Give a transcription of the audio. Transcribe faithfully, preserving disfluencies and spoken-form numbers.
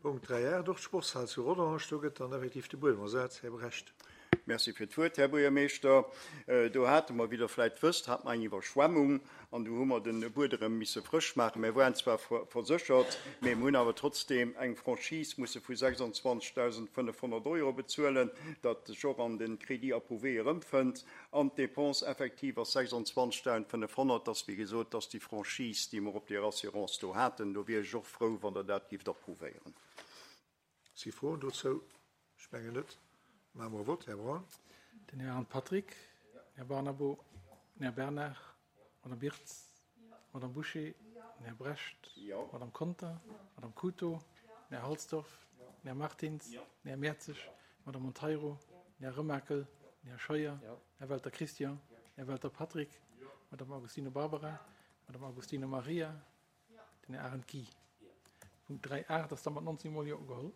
Punkt dräi aacht, och d'Sportshal zu Rodange, do gëtt dann effektiv de Buedem ersat. Här Brecht. Merci fir d'Wuert, Här Buergermeeschter. Do hate mer, wéi Der vläicht wësst, hate mer eng Iwwerschwemmung an do hu mer de Buedem misse frësch maachen. Mir waren zwar verséchert, mee mir hunn awer trotzdeem eng Franchise musse vu sechsundzwanzegdausendfënnefhonnert Euro bezuelen, dat sech och an de Crédit approuvé erëmfënnt. An d'Dépense effective ass sechsundzwanzegdausendfënnefhonnert. Dat ass, wéi gesot, dat ass déi Franchise, déi mer op där Assurance do haten. Do wier ech och frou, wann Der dat géift approuvéieren. Si Froen dozou? Ech mengen net. Maache mer e Vott. Här Braun. Den Här Arndt Patrick, den Här Barnabo, den Här Bernard, d'Madame Birtz, d'Madame Bouché, den Här Brecht, d'Madame Conter, d'Madame Couto, den Här Halsdorf, den Här Martins, den Här Mertzig, d'Madame Monteiro, den Här Remakel, den Här Scheuer, den Här Welter Christian, den Här Welter Patrick, d'Madame Agostino Barbara, d'Madame Agostino Maria, den Här Arendt Guy. Punkt dräi aacht ass da mat neunzehn Mol Jo ugeholl.